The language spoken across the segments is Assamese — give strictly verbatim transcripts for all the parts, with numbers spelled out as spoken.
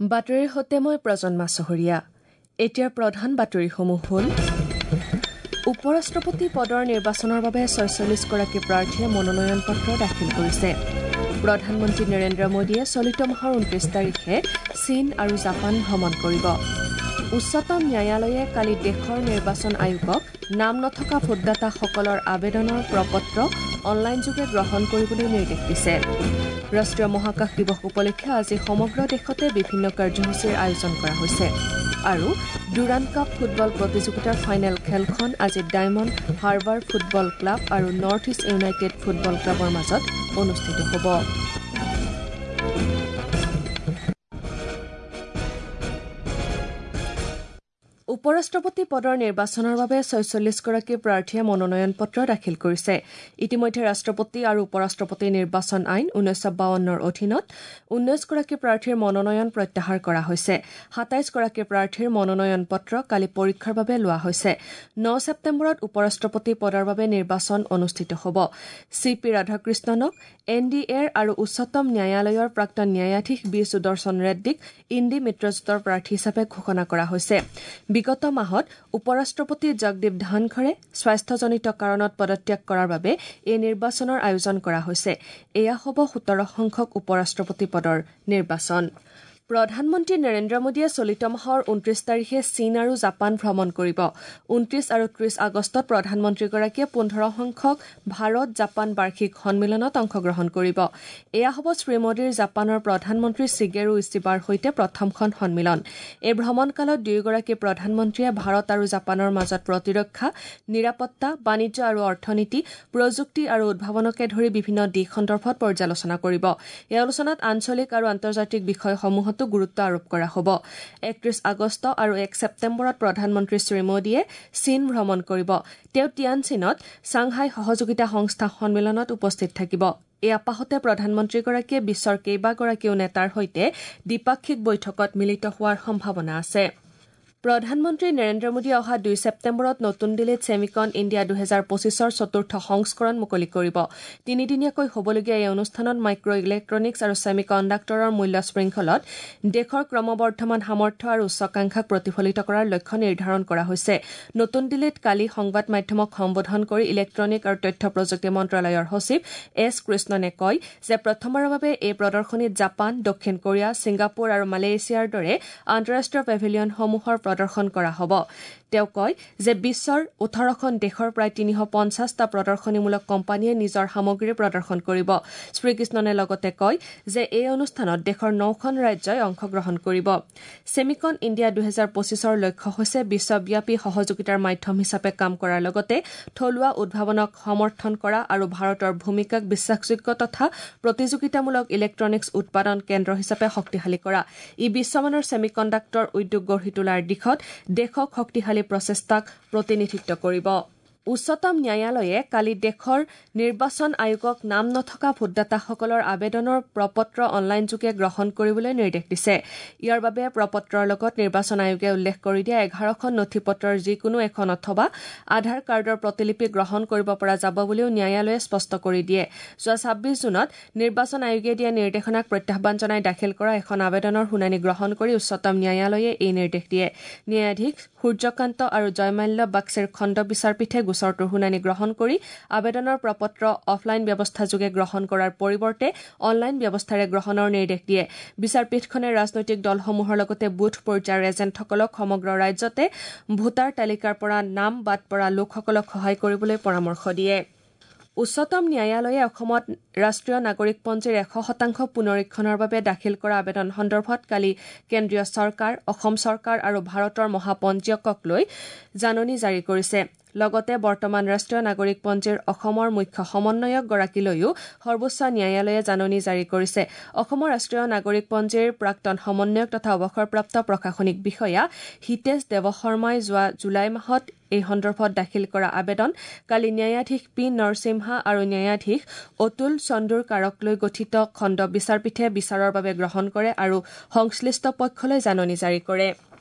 বাতৰিৰ সৈতে মই প্ৰজন্মা চহৰীয়া। এতিয়াৰ প্ৰধান বাতৰিসমূহ হ'ল: উপ-ৰাষ্ট্ৰপতি পদৰ নিৰ্বাচনৰ বাবে ছয়চল্লিছগৰাকী প্ৰাৰ্থীয়ে মনোনয়ন পত্ৰ দাখিল কৰিছে। প্ৰধানমন্ত্ৰী নৰেন্দ্ৰ মোদীয়ে চলিত মাহৰ ঊনত্ৰিছ তাৰিখে চীন আৰু জাপান ভ্ৰমণ কৰিব। উচ্চতম ন্যায়ালয়ে কালি দেশৰ নিৰ্বাচন আয়োগক নাম নথকা ভোটদাতাসকলৰ আবেদনৰ প্ৰপত্ৰ অনলাইনযোগে গ্ৰহণ কৰিবলৈ নিৰ্দেশ দিছে। ৰাষ্ট্ৰীয় মহাকাশ দিৱস উপলক্ষে আজি সমগ্ৰ দেশতে বিভিন্ন কাৰ্যসূচীৰ আয়োজন কৰা হৈছে। আৰু ডুৰাণ্ড কাপ ফুটবল প্ৰতিযোগিতাৰ ফাইনেল খেলখন আজি ডায়মণ্ড হাৰ্বাৰ ফুটবল ক্লাব আৰু নৰ্থ ইষ্ট ইউনাইটেড ফুটবল ক্লাবৰ মাজত অনুষ্ঠিত হ'ব। উপ-ৰাষ্ট্ৰপতি পদৰ নিৰ্বাচনৰ বাবে ছয়চল্লিছগৰাকী প্ৰাৰ্থীয়ে মনোনয়ন পত্ৰ দাখিল কৰিছে। ইতিমধ্যে ৰাষ্ট্ৰপতি আৰু উপ-ৰাষ্ট্ৰপতি নিৰ্বাচন আইন ঊনৈছশ বাৱন্নৰ অধীনত ঊনৈছগৰাকী প্ৰাৰ্থীৰ মনোনয়ন প্ৰত্যাহাৰ কৰা হৈছে। সাতাইছগৰাকী প্ৰাৰ্থীৰ মনোনয়ন পত্ৰ কালি পৰীক্ষাৰ বাবে লোৱা হৈছে। ন ছেপ্টেম্বৰত উপ-ৰাষ্ট্ৰপতি পদৰ বাবে নিৰ্বাচন অনুষ্ঠিত হ'ব। চি পি ৰাধাকৃষ্ণনক এন ডি এৰ আৰু উচ্চতম ন্যায়ালয়ৰ প্ৰাক্তন ন্যায়াধীশ বি সুদৰ্শন ৰেড্ডীক ইণ্ডি মিত্ৰজোঁটৰ প্ৰাৰ্থী হিচাপে ঘোষণা কৰা হৈছে। বিগত মাহত উপ-ৰাষ্ট্ৰপতি জগদীপ ধনখৰে স্বাস্থ্যজনিত কাৰণত পদত্যাগ কৰাৰ বাবে এই নিৰ্বাচনৰ আয়োজন কৰা হৈছে। এয়া হ'ব সোতৰ সংখ্যক উপ-ৰাষ্ট্ৰপতি পদৰ নিৰ্বাচন। প্ৰধানমন্ত্ৰী নৰেন্দ্ৰ মোদীয়ে চলিত মাহৰ ঊনত্ৰিছ তাৰিখে চীন আৰু জাপান ভ্ৰমণ কৰিব। ঊনত্ৰিছ আৰু ত্ৰিছ আগষ্টত প্ৰধানমন্ত্ৰীগৰাকীয়ে পোন্ধৰ সংখ্যক ভাৰত জাপান বাৰ্ষিক সন্মিলনত অংশগ্ৰহণ কৰিব। এয়া হ'ব শ্ৰীমোদীৰ জাপানৰ প্ৰধানমন্ত্ৰী চিগেৰু ইছিবাৰ সৈতে প্ৰথমখন সন্মিলন। এই ভ্ৰমণকালত দুয়োগৰাকী প্ৰধানমন্ত্ৰীয়ে ভাৰত আৰু জাপানৰ মাজত প্ৰতিৰক্ষা, নিৰাপত্তা, বাণিজ্য আৰু অৰ্থনীতি, প্ৰযুক্তি আৰু উদ্ভাৱনকে ধৰি বিভিন্ন দিশ সন্দৰ্ভত পৰ্যালোচনা কৰিব। এই আলোচনাত আঞ্চলিক আৰু আন্তৰ্জাতিক বিষয়সমূহত গুৰুত্ব আৰোপ কৰা হ'ব। একত্ৰিছ আগষ্ট আৰু এক ছেপ্টেম্বৰত প্ৰধানমন্ত্ৰী শ্ৰীমোদীয়ে চীন ভ্ৰমণ কৰিব। তেওঁ টিয়ানচিনত ছাংহাই সহযোগিতা সংস্থা সন্মিলনত উপস্থিত থাকিব। এই আপাহতে প্ৰধানমন্ত্ৰীগৰাকীয়ে বিশ্বৰ কেইবাগৰাকীও নেতাৰ সৈতে দ্বিপাক্ষিক বৈঠকত মিলিত হোৱাৰ সম্ভাৱনা আছে। প্ৰধানমন্ত্ৰী নৰেন্দ্ৰ মোদীয়ে অহা দুই ছেপ্টেম্বৰত নতুন দিল্লীত ছেমিকন ইণ্ডিয়া দুহেজাৰ পঁচিছৰ চতুৰ্থ সংস্কৰণ মুকলি কৰিব। তিনিদিনীয়াকৈ হ'বলগীয়া এই অনুষ্ঠানত মাইক্ৰ ইলেক্ট্ৰনিক্স আৰু ছেমি কণ্ডাক্টৰৰ মূল্য শৃংখলত দেশৰ ক্ৰমবৰ্ধমান সামৰ্থ্য আৰু উচ্চাকাংক্ষাক প্ৰতিফলিত কৰাৰ লক্ষ্য নিৰ্ধাৰণ কৰা হৈছে। নতুন দিল্লীত কালি সংবাদ মাধ্যমক সম্বোধন কৰি ইলেক্ট্ৰনিক আৰু তথ্য প্ৰযুক্তি মন্ত্ৰালয়ৰ সচিব এছ কৃষ্ণনে কয় যে প্ৰথমবাৰৰ বাবে এই প্ৰদৰ্শনীত জাপান, দক্ষিণ কোৰিয়া, ছিংগাপুৰ আৰু মালয়েছিয়াৰ দৰে আন্তঃৰাষ্ট্ৰীয় পেভিলিয়নসমূহৰ প্ৰদৰ্শন কৰা হ'ব। তেওঁ কয় যে বিশ্বৰ ওঠৰখন দেশৰ প্ৰায় তিনিশ পঞ্চাছটা প্ৰদৰ্শনীমূলক কোম্পানীয়ে নিজৰ সামগ্ৰী প্ৰদৰ্শন কৰিব। শ্ৰীকৃষ্ণনে লগতে কয় যে এই অনুষ্ঠানত দেশৰ নখন ৰাজ্যই অংশগ্ৰহণ কৰিব। ছেমিকন ইণ্ডিয়া দুহেজাৰ পঁচিছৰ লক্ষ্য হৈছে বিশ্বব্যাপী সহযোগিতাৰ মাধ্যম হিচাপে কাম কৰাৰ লগতে থলুৱা উদ্ভাৱনক সমৰ্থন কৰা আৰু ভাৰতৰ ভূমিকাক বিশ্বাসযোগ্য তথা প্ৰতিযোগিতামূলক ইলেক্ট্ৰনিক্স উৎপাদন কেন্দ্ৰ হিচাপে শক্তিশালী কৰা। ই বিশ্বমানৰ ছেমিকণ্ডাক্টৰ উদ্যোগ গঢ়ি তোলাৰ দিশত দেশক শক্তিশালী প্ৰচেষ্টাক প্ৰতিনিধিত্ব কৰিব। উচ্চতম ন্যায়ালয়ে কালি দেশৰ নিৰ্বাচন আয়োগক নাম নথকা ভোটদাতাসকলৰ আবেদনৰ প্ৰপত্ৰ অনলাইনযোগে গ্ৰহণ কৰিবলৈ নিৰ্দেশ দিছে। ইয়াৰ বাবে প্ৰপত্ৰৰ লগত নিৰ্বাচন আয়োগে উল্লেখ কৰি দিয়া এঘাৰখন নথিপত্ৰৰ যিকোনো এখন অথবা আধাৰ কাৰ্ডৰ প্ৰতিলিপি গ্ৰহণ কৰিব পৰা যাব বুলিও ন্যায়ালয়ে স্পষ্ট কৰি দিয়ে। যোৱা ছাব্বিছ জুনত নিৰ্বাচন আয়োগে দিয়া নিৰ্দেশনাক প্ৰত্যাহ্বান জনাই দাখিল কৰা এখন আবেদনৰ শুনানি গ্ৰহণ কৰি উচ্চতম ন্যায়ালয়ে এই নিৰ্দেশ দিয়ে। ন্যায়াধীশ সূৰ্যকান্ত আৰু জয়মাল্য বাগচিৰ খণ্ড বিচাৰপীঠে গোচৰটোৰ শুনানি গ্ৰহণ কৰি আবেদনৰ প্ৰপত্ৰ অফলাইন ব্যৱস্থাযোগে গ্ৰহণ কৰাৰ পৰিৱৰ্তে অনলাইন ব্যৱস্থাৰে গ্ৰহণৰ নিৰ্দেশ দিয়ে। বিচাৰপীঠখনে ৰাজনৈতিক দলসমূহৰ লগতে বুথ পৰ্যায়ৰ এজেণ্টসকলক সমগ্ৰ ৰাজ্যতে ভোটাৰ তালিকাৰ পৰা নাম বাদ পৰা লোকসকলক সহায় কৰিবলৈ পৰামৰ্শ দিয়ে। উচ্চতম ন্যায়ালয়ে অসমত ৰাষ্ট্ৰীয় নাগৰিকপঞ্জীৰ এশ শতাংশ পুনৰীক্ষণৰ বাবে দাখিল কৰা আবেদন সন্দৰ্ভত কালি কেন্দ্ৰীয় চৰকাৰ, অসম চৰকাৰ আৰু ভাৰতৰ মহাপঞ্জীয়কক লৈ জাননী জাৰি কৰিছে। লগতে বৰ্তমান ৰাষ্ট্ৰীয় নাগৰিকপঞ্জীৰ অসমৰ মুখ্য সমন্বয়কগৰাকীলৈও সৰ্বোচ্চ ন্যায়ালয়ে জাননী জাৰি কৰিছে। অসমৰ ৰাষ্ট্ৰীয় নাগৰিকপঞ্জীৰ প্ৰাক্তন সমন্বয়ক তথা অৱসৰপ্ৰাপ্ত প্ৰশাসনিক বিষয়া হিতেশ দেৱশৰ্মাই যোৱা জুলাই মাহত এই সন্দৰ্ভত দাখিল কৰা আবেদন কালি ন্যায়াধীশ পি নৰসিমহা আৰু ন্যায়াধীশ অতুল চন্দুৰকাৰক লৈ গঠিত খণ্ড বিচাৰপীঠে বিচাৰৰ বাবে গ্ৰহণ কৰে আৰু সংশ্লিষ্ট পক্ষলৈ জাননী জাৰি কৰে।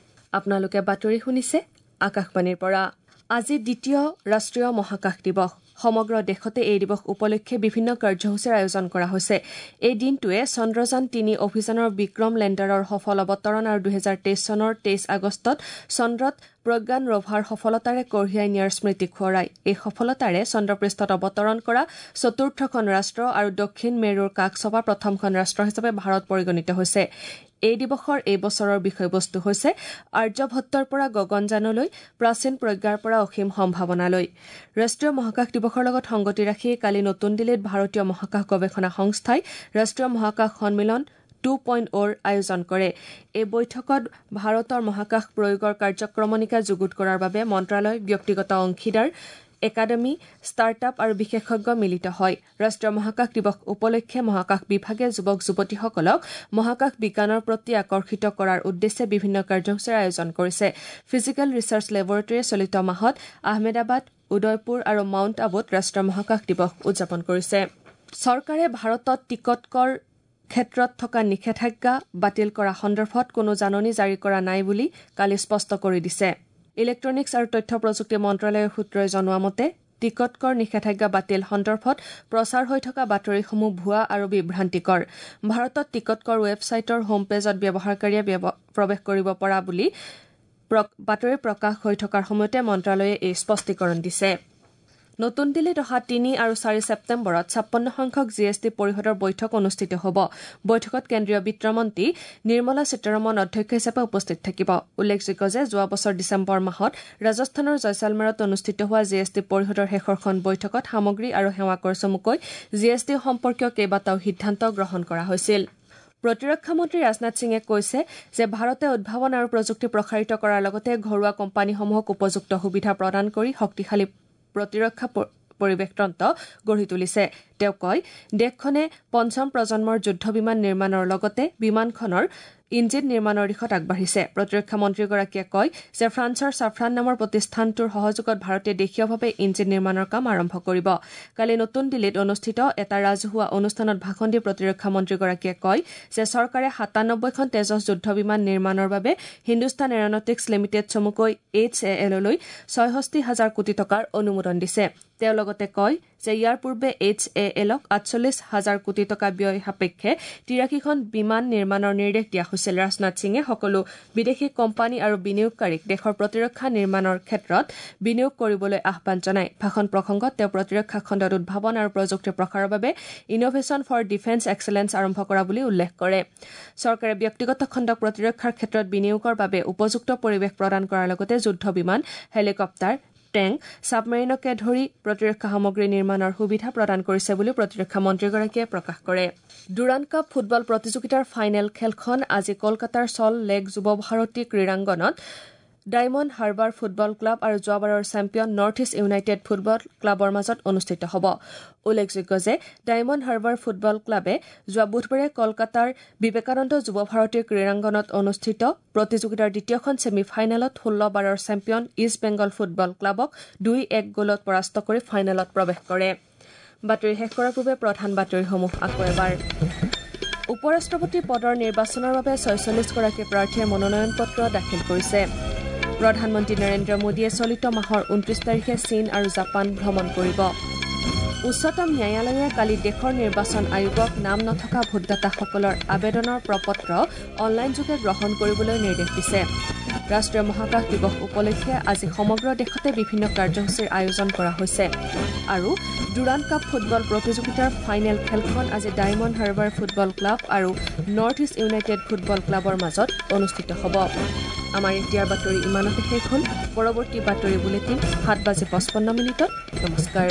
আপোনালোকে বাতৰি শুনিছে আকাশবাণীৰ পৰা। আজি দ্বিতীয় ৰাষ্ট্ৰীয় মহাকাশ দিৱস। সমগ্ৰ দেশতে এই দিৱস উপলক্ষে বিভিন্ন কাৰ্যসূচীৰ আয়োজন কৰা হৈছে। এই দিনটোৱে চন্দ্ৰযান তিনি অভিযানৰ বিক্ৰম লেণ্ডাৰৰ সফল অৱতৰণ আৰু দুহেজাৰ তেইছ চনৰ তেইছ আগষ্টত চন্দ্ৰত প্ৰজ্ঞান ৰভাৰ সফলতাৰে কঢ়িয়াই নিয়াৰ স্মৃতি সোঁৱৰায়। এই সফলতাৰে চন্দ্ৰপৃষ্ঠত অৱতৰণ কৰা চতুৰ্থখন ৰাষ্ট্ৰ আৰু দক্ষিণ মেৰুৰ কাষ চপা প্ৰথমখন ৰাষ্ট্ৰ হিচাপে ভাৰত পৰিগণিত হৈছে। এই দিৱসৰ এই বছৰৰ বিষয়বস্তু হৈছে আৰ্যভট্টৰ পৰা গগনযানলৈ, প্ৰাচীন প্ৰজ্ঞাৰ পৰা অসীম সম্ভাৱনালৈ। ৰাষ্ট্ৰীয় মহাকাশ দিৱসৰ লগত সংগতি ৰাখি কালি নতুন দিল্লীত ভাৰতীয় মহাকাশ গৱেষণা সংস্থাই ৰাষ্ট্ৰীয় মহাকাশ সন্মিলন টু পইণ্ট অ'ৰ আয়োজন কৰে। এই বৈঠকত ভাৰতৰ মহাকাশ প্ৰয়োগৰ কাৰ্যক্ৰমণিকা যুগুত কৰাৰ বাবে মন্ত্ৰালয়, ব্যক্তিগত অংশীদাৰ, একাডেমী, ষ্টাৰ্টআপ আৰু বিশেষজ্ঞ মিলিত হয়। ৰাষ্ট্ৰীয় মহাকাশ দিৱস উপলক্ষে মহাকাশ বিভাগে যুৱক যুৱতীসকলক মহাকাশ বিজ্ঞানৰ প্ৰতি আকৰ্ষিত কৰাৰ উদ্দেশ্যে বিভিন্ন কাৰ্যসূচীৰ আয়োজন কৰিছে। ফিজিকেল ৰিচাৰ্চ লেবৰেটৰীয়ে চলিত মাহত আহমেদাবাদ, উদয়পুৰ আৰু মাউণ্ট আবুত ৰাষ্ট্ৰীয় মহাকাশ দিৱস উদযাপন কৰিছে। চৰকাৰে ভাৰতত টিকট কৰ ক্ষেত্ৰত থকা নিষেধাজ্ঞা বাতিল কৰা সন্দৰ্ভত কোনো জাননী জাৰি কৰা নাই বুলি কালি স্পষ্ট কৰি দিছে। ইলেক্ট্ৰনিক্স আৰু তথ্য প্ৰযুক্তি মন্ত্ৰালয়ৰ সূত্ৰই জনোৱা মতে টিকট কৰ নিষেধাজ্ঞা বাতিল সন্দৰ্ভত প্ৰচাৰ হৈ থকা বাতৰিসমূহ ভুৱা আৰু বিভ্ৰান্তিকৰ। ভাৰতত টিকট কৰ ৱেবছাইটৰ হোম পেজত ব্যৱহাৰকাৰীয়ে প্ৰৱেশ কৰিব পৰা বুলি বাতৰি প্ৰকাশ হৈ থকাৰ সময়তে মন্ত্ৰালয়ে এই স্পষ্টীকৰণ দিছে। নতুন দিল্লীত অহা তিনি আৰু চাৰি ছেপ্টেম্বৰত ছাপন্ন সংখ্যক জি এছ টি পৰিষদৰ বৈঠক অনুষ্ঠিত হ'ব। বৈঠকত কেন্দ্ৰীয় বিত্তমন্ত্ৰী নিৰ্মলা সীতাৰমণ অধ্যক্ষ হিচাপে উপস্থিত থাকিব। উল্লেখযোগ্য যে যোৱা বছৰ ডিচেম্বৰ মাহত ৰাজস্থানৰ জয়ছালমেৰত অনুষ্ঠিত হোৱা জি এছ টি পৰিষদৰ শেষৰখন বৈঠকত সামগ্ৰী আৰু সেৱা কৰ চমুকৈ জি এছ টি সম্পৰ্কীয় কেইবাটাও সিদ্ধান্ত গ্ৰহণ কৰা হৈছিল। প্ৰতিৰক্ষা মন্ত্ৰী ৰাজনাথ সিঙে কৈছে যে ভাৰতে উদ্ভাৱন আৰু প্ৰযুক্তি প্ৰসাৰিত কৰাৰ লগতে ঘৰুৱা কোম্পানীসমূহক উপযুক্ত সুবিধা প্ৰদান কৰি শক্তিশালী প্ৰতিৰক্ষা পৰিৱেশতন্ত্ৰ গঢ়ি তুলিছে। তেওঁ কয়, দেশখনে পঞ্চম প্ৰজন্মৰ যুদ্ধ বিমান নিৰ্মাণৰ লগতে বিমানখনৰ ইঞ্জিন নিৰ্মাণৰ দিশত আগবাঢ়িছে। প্ৰতিৰক্ষা মন্ত্ৰীগৰাকীয়ে কয় যে ফ্ৰান্সৰ ছাফ্ৰান নামৰ প্ৰতিষ্ঠানটোৰ সহযোগত ভাৰতে দেশীয়ভাৱে ইঞ্জিন নিৰ্মাণৰ কাম আৰম্ভ কৰিব। কালি নতুন দিল্লীত অনুষ্ঠিত এটা ৰাজহুৱা অনুষ্ঠানত ভাষণ দি প্ৰতিৰক্ষা মন্ত্ৰীগৰাকীয়ে কয় যে চৰকাৰে সাতানব্বৈখন তেজস যুদ্ধ বিমান নিৰ্মাণৰ বাবে হিন্দুস্তান এৰ'নটিক্স লিমিটেড চমুকৈ এইচ এ এললৈ ছয়ষষ্ঠি হাজাৰ কোটি টকাৰ অনুমোদন দিছে। তেওঁ লগতে কয় যে ইয়াৰ পূৰ্বে এইচ এ এলক আঠচল্লিছ হাজাৰ কোটি টকা ব্যয় সাপেক্ষে তিৰাশীখন বিমান নিৰ্মাণৰ নিৰ্দেশ দিয়া হৈছিল। ৰাজনাথ সিঙে সকলো বিদেশী কোম্পানী আৰু বিনিয়োগকাৰীক দেশৰ প্ৰতিৰক্ষা নিৰ্মাণৰ ক্ষেত্ৰত বিনিয়োগ কৰিবলৈ আহ্বান জনায়। ভাষণ প্ৰসংগত তেওঁ প্ৰতিৰক্ষা খণ্ডত উদ্ভাৱন আৰু প্ৰযুক্তিৰ প্ৰসাৰৰ বাবে ইন'ভেশ্যন ফৰ ডিফেন্স এক্সেলেন্স আৰম্ভ কৰা বুলি উল্লেখ কৰে। চৰকাৰে ব্যক্তিগত খণ্ডক প্ৰতিৰক্ষাৰ ক্ষেত্ৰত বিনিয়োগৰ বাবে উপযুক্ত পৰিৱেশ প্ৰদান কৰাৰ লগতে যুদ্ধ বিমান, হেলিকপ্টাৰ, টেংক, ছাবমেৰিনকে ধৰি প্ৰতিৰক্ষা সামগ্ৰী নিৰ্মাণৰ সুবিধা প্ৰদান কৰিছে বুলি প্ৰতিৰক্ষা মন্ত্ৰীগৰাকীয়ে প্ৰকাশ কৰে। ডুৰাণ্ড কাপ ফুটবল প্ৰতিযোগিতাৰ ফাইনেল খেলখন আজি কলকাতাৰ চল লেক যুৱ ভাৰতী ক্ৰীড়াংগনত ডায়মণ্ড হাৰ্বাৰ ফুটবল ক্লাব আৰু যোৱাবাৰৰ champion North East United football ক্লাবৰ মাজত অনুষ্ঠিত হ'ব। উল্লেখযোগ্য যে ডায়মণ্ড হাৰ্বাৰ ফুটবল ক্লাবে যোৱা বুধবাৰে কলকাতাৰ বিবেকানন্দ যুৱ ভাৰতী ক্ৰীড়াংগনত অনুষ্ঠিত প্ৰতিযোগিতাৰ দ্বিতীয়খন ছেমি ফাইনেলত ষোল্লবাৰৰ চেম্পিয়ন ইষ্ট বেংগল ফুটবল ক্লাবক দুই এক গ'লত পৰাস্ত কৰি ফাইনেলত প্ৰৱেশ কৰে। বাতৰি শেষ কৰাৰ পূৰ্বে প্ৰধান বাতৰিসমূহ আকৌ এবাৰ। উপ ৰাষ্ট্ৰপতি পদৰ নিৰ্বাচনৰ বাবে ছয়চল্লিছগৰাকী প্ৰাৰ্থীয়ে মনোনয়ন পত্ৰ দাখিল কৰিছে। প্ৰধানমন্ত্ৰী নৰেন্দ্ৰ মোদীয়ে চলিত মাহৰ ঊনত্ৰিশ তাৰিখে চীন আৰু জাপান ভ্ৰমণ কৰিব। উচ্চতম ন্যায়ালয়ে কালি দেশৰ নিৰ্বাচন আয়োগক নাম নথকা ভোটদাতাসকলৰ আবেদনৰ প্ৰপত্ৰ অনলাইনযোগে গ্ৰহণ কৰিবলৈ নিৰ্দেশ দিছে। ৰাষ্ট্ৰীয় মহাকাশ দিৱস উপলক্ষে আজি সমগ্ৰ দেশতে বিভিন্ন কাৰ্যসূচীৰ আয়োজন কৰা হৈছে। আৰু ডুৰাণ্ড কাপ ফুটবল প্ৰতিযোগিতাৰ ফাইনেল খেলখন আজি ডায়মণ্ড হাৰ্বাৰ ফুটবল ক্লাব আৰু নৰ্থ ইষ্ট ইউনাইটেড ফুটবল ক্লাবৰ মাজত অনুষ্ঠিত হ'ব। আমাৰ এতিয়াৰ বাতৰি ইমানতে শেষ হ'ল। পৰৱৰ্তী বাতৰি বুলেটিন সাত বাজি পঁচপন্ন মিনিটত। নমস্কাৰ।